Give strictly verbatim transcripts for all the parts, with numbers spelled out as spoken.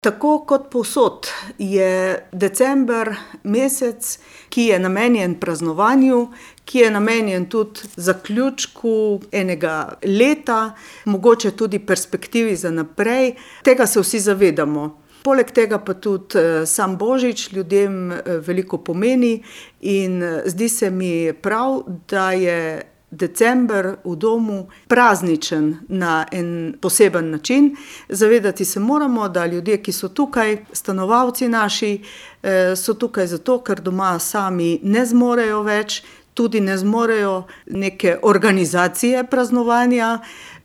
Tako kot povsod je december mesec, ki je namenjen praznovanju, ki je namenjen tudi zaključku enega leta, mogoče tudi perspektivi za naprej. Tega se vsi zavedamo. Poleg tega pa tudi sam Božič ljudem veliko pomeni in zdi se mi prav, da je december v domu prazničen na en poseben način. Zavedati se moramo, da ljudje, ki so tukaj, stanovalci naši, so tukaj zato, ker doma sami ne zmorejo več, tudi ne zmorejo neke organizacije praznovanja,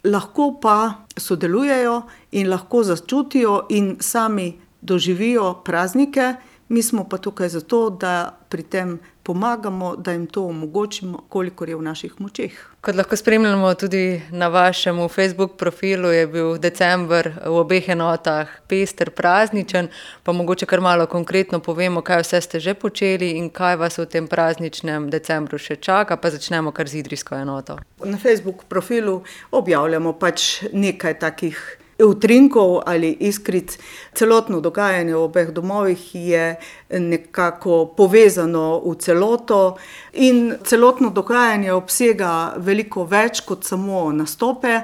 lahko pa sodelujejo in lahko začutijo in sami doživijo praznike. Mi smo pa tukaj zato, da pri tem pomagamo, da jim to omogočimo, kolikor je v naših močeh. Kot lahko spremljamo tudi na vašem Facebook profilu, je bil december v obeh enotah pester, prazničen, pa mogoče kar malo konkretno povemo, kaj vse ste že počeli in kaj vas v tem prazničnem decembru še čaka, pa začnemo kar z idrijsko enoto. Na Facebook profilu objavljamo pač nekaj takih utrinkov ali iskric. Celotno dogajanje v obeh domovih je nekako povezano v celoto in celotno dogajanje obsega veliko več kot samo nastope.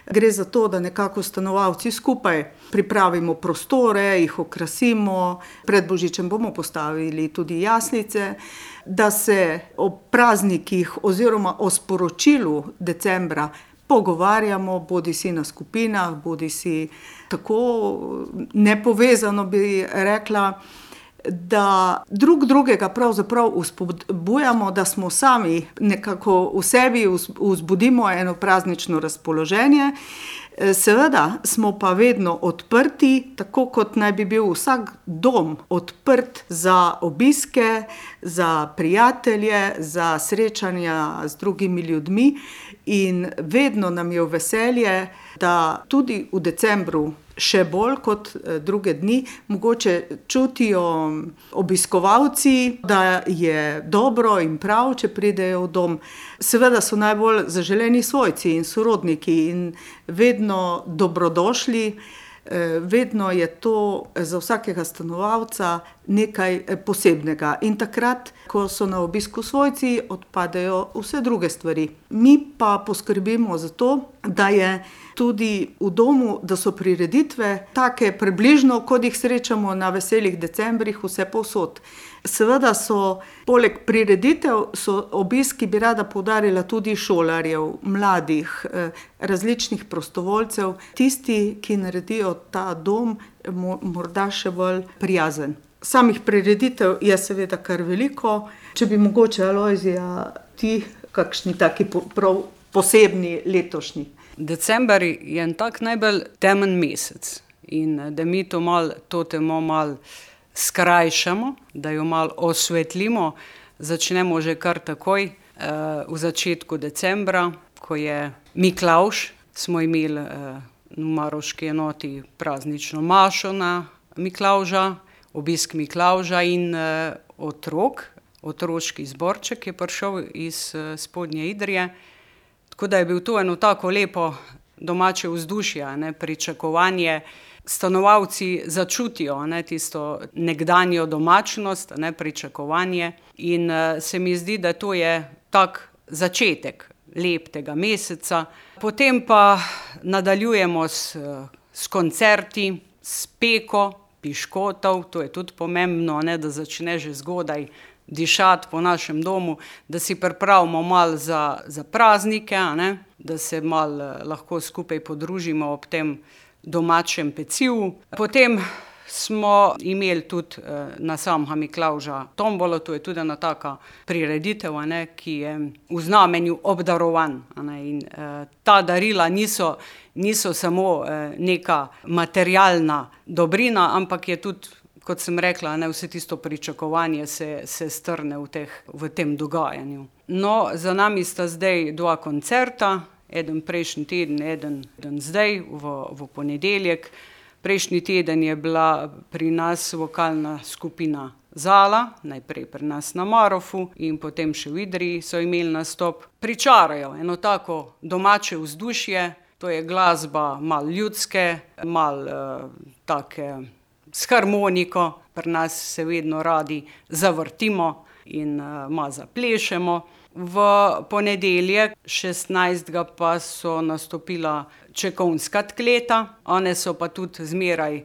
Gre za to, da nekako stanovalci skupaj pripravimo prostore, jih okrasimo, pred Božičem bomo postavili tudi jaslice, da se o praznikih oziroma o sporočilu decembra pogovarjamo, bodisi na skupinah, bodisi tako nepovezano bi rekla, da drug drugega pravzaprav vzpodbujamo, da smo sami nekako v sebi vzbudimo eno praznično razpoloženje. Seveda smo pa vedno odprti, tako kot naj bi bil vsak dom odprt za obiske, za prijatelje, za srečanja z drugimi ljudmi in vedno nam je v veselje, da tudi v decembru še bolj kot druge dni mogoče čutijo obiskovalci, da je dobro in prav, če pridejo v dom. Seveda so najbolj zaželeni svojci in sorodniki in vedno dobrodošli. Vedno je to za vsakega stanovalca nekaj posebnega. In takrat, ko so na obisku svojci, odpadejo vse druge stvari. Mi pa poskrbimo za to, da je tudi v domu, da so prireditve take približno, kot jih srečamo na veselih decembrih vse povsod. Seveda so poleg prireditev so obiski, bi rada poudarila, tudi šolarjev, mladih, različnih prostovoljcev, tisti, ki naredijo ta dom morda še bolj prijazen. Samih prireditev je seveda kar veliko. Če bi mogoče, Alojzija, ti kakšni taki prav posebni letošnji? December je en tak najbolj temen mesec in da mi to malo, to temo malo skrajšamo, da jo malo osvetlimo, začnemo že kar takoj v začetku decembra, ko je Miklavž, smo imeli v maroški enoti praznično mašo na Miklavža, obisk Miklavža in otrok, otroški zborček je prišel iz Spodnje Idrije. Tako da je bil to eno tako lepo domače vzdušje, ne, pričakovanje. Stanovalci začutijo, ne, tisto nekdanjo domačnost, ne, pričakovanje in se mi zdi, da to je tak začetek lepega meseca. Potem pa nadaljujemo s, s koncerti, s peko piškotov, to je tudi pomembno, ne, da začne že zgodaj dišati po našem domu, da si pripravimo malo za, za praznike, ne, da se malo lahko skupaj podružimo ob tem domačem pecivu. Potem smo imeli tudi na samega Miklavža tombolo, to je tudi ena taka prireditev, ne, ki je v znamenju obdarovanj. Ne, in eh, ta darila niso, niso samo eh, neka materialna dobrina, ampak je tudi, kot sem rekla, ne, vse tisto pričakovanje se, se strne v, teh, v tem dogajanju. No, za nami sta zdaj dva koncerta, eden prejšnji teden, eden, eden zdaj, v, v ponedeljek. Prejšnji teden je bila pri nas vokalna skupina Zala, najprej pri nas na Marofu in potem še v Idriji so imeli nastop. Pričarajo eno tako domače vzdušje, to je glasba malo ljudske, malo uh, take s harmoniko, pri nas se vedno radi zavrtimo in uh, malo zaplešemo. V ponedeljek šestnajstega pa so nastopila Čekovnska tkleta, one so pa tudi zmeraj,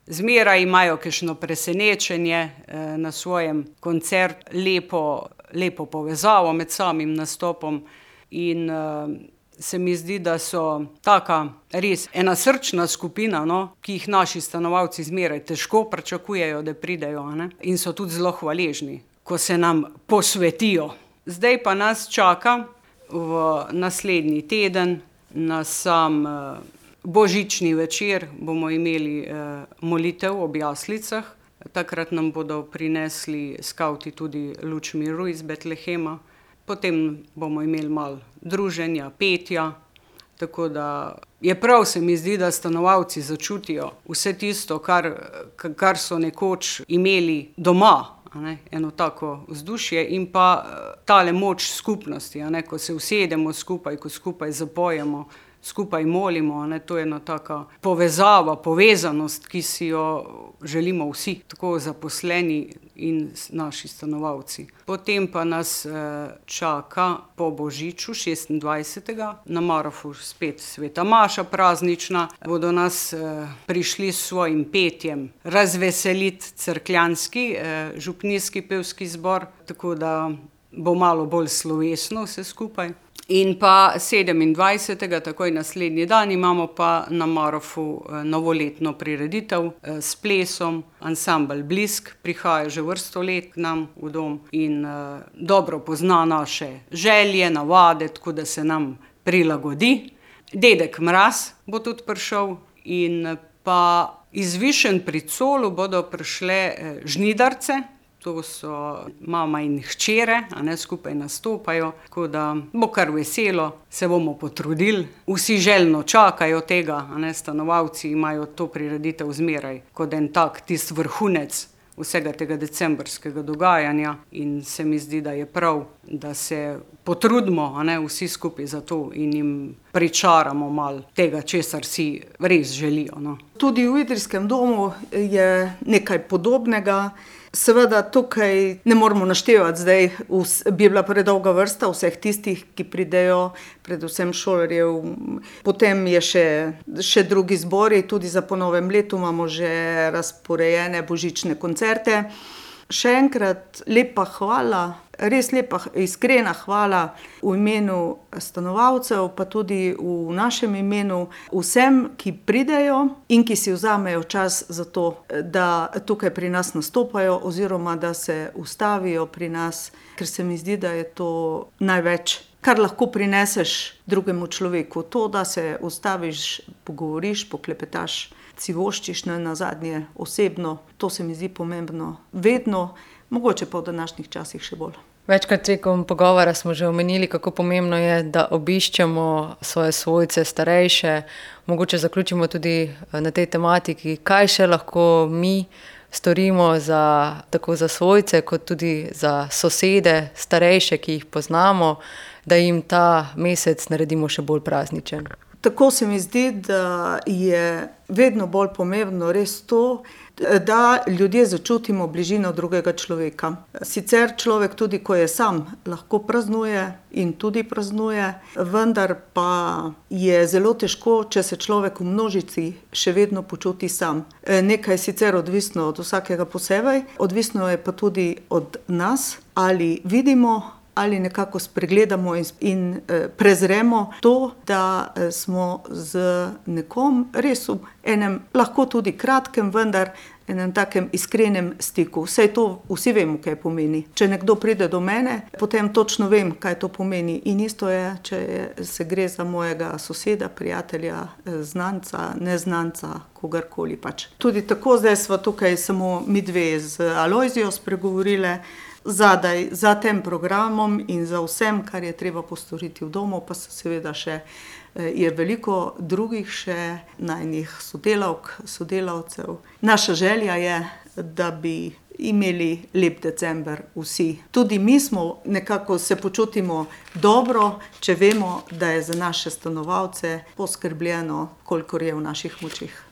zmeraj imajo kakšno presenečenje eh, na svojem koncertu, lepo, lepo povezavo med samim nastopom in eh, se mi zdi, da so taka res ena srčna skupina, no, ki jih naši stanovalci zmeraj težko pričakujejo, da pridejo, ne, in so tudi zelo hvaležni, ko se nam posvetijo. Zdaj pa nas čaka v naslednji teden na sam eh, božični večer, bomo imeli eh, molitev ob jaslicah. Takrat nam bodo prinesli skavti tudi luč miru iz Betlehema. Potem bomo imeli malo druženja, petja, tako da je prav, se mi zdi, da stanovalci začutijo vse tisto, kar, kar so nekoč imeli doma, a ne, eno tako vzdušje in pa tale moč skupnosti, a ne, ko se usedemo skupaj, ko skupaj zapojemo, skupaj molimo, ne, to je ena taka povezava, povezanost, ki si jo želimo vsi, tako zaposleni in naši stanovalci. Potem pa nas eh, čaka po božiču šestindvajsetega na Marofu spet sveta maša praznična. Bodo nas eh, prišli s svojim petjem razveseliti cerkljanski eh, župnijski pevski zbor, tako da bo malo bolj slovesno vse skupaj. In pa sedemindvajsetega, takoj naslednji dan, imamo pa na Marofu novoletno prireditev s plesom. Ansambel Blisk prihaja že vrsto let k nam v dom in uh, dobro pozna naše želje, navade, tako da se nam prilagodi. Dedek Mraz bo tudi prišel in pa iz Višen pri Colu bodo prišle žnidarce. To so mama in hčere, a ne, skupaj nastopajo, tako da bo kar veselo, se bomo potrudili. Vsi željno čakajo tega, a ne, stanovalci imajo to prireditev zmeraj kot en tak tist vrhunec vsega tega decembrskega dogajanja in se mi zdi, da je prav, da se potrudimo, a ne, vsi skupaj za to in jim pričaramo malo tega, česar si res želijo. No. Tudi v Idrijskem domu je nekaj podobnega. Seveda tukaj ne moramo naštevati, zdaj bi bila predolga vrsta vseh tistih, ki pridejo, predvsem šolarjev. Potem je še, še drugi zbori, tudi za po novem letu imamo že razporejene božične koncerte. Še enkrat lepa hvala, res lepa, iskrena hvala v imenu stanovalcev, pa tudi v našem imenu vsem, ki pridejo in ki si vzamejo čas za to, da tukaj pri nas nastopajo oziroma da se ustavijo pri nas, ker se mi zdi, da je to največ, kar lahko prineseš drugemu človeku. To, da se ustaviš, pogovoriš, poklepetaš, si voščiš na zadnje osebno, to se mi zdi pomembno vedno, mogoče pa v današnjih časih še bolj. Večkrat tekom pogovora smo že omenili, kako pomembno je, da obiščemo svoje svojce, starejše. Mogoče zaključimo tudi na tej tematiki, kaj še lahko mi storimo za, tako za svojce, kot tudi za sosede, starejše, ki jih poznamo, da jim ta mesec naredimo še bolj prazničen. Tako se mi zdi, da je vedno bolj pomembno res to, da ljudje začutimo bližino drugega človeka. Sicer človek tudi, ko je sam, lahko praznuje in tudi praznuje, vendar pa je zelo težko, če se človek v množici še vedno počuti sam. Nekaj je sicer odvisno od vsakega posebej, odvisno je pa tudi od nas, ali vidimo, ali nekako spregledamo in, in eh, prezremo to, da eh, smo z nekom res v enem, lahko tudi kratkem, vendar enem takem iskrenem stiku. Vse to vsi vemo, kaj pomeni. Če nekdo pride do mene, potem točno vem, kaj to pomeni. In isto je, če je, se gre za mojega soseda, prijatelja, znanca, neznanca, kogarkoli pač. Tudi tako zdaj smo tukaj samo mi dve z Alojzijo spregovorile, zadaj za tem programom in za vsem, kar je treba postoriti v domu, pa se seveda še je veliko drugih še najnih sodelavk, sodelavcev. Naša želja je, da bi imeli lep december vsi. Tudi mi smo nekako se počutimo dobro, če vemo, da je za naše stanovalce poskrbljeno, kolikor je v naših močeh.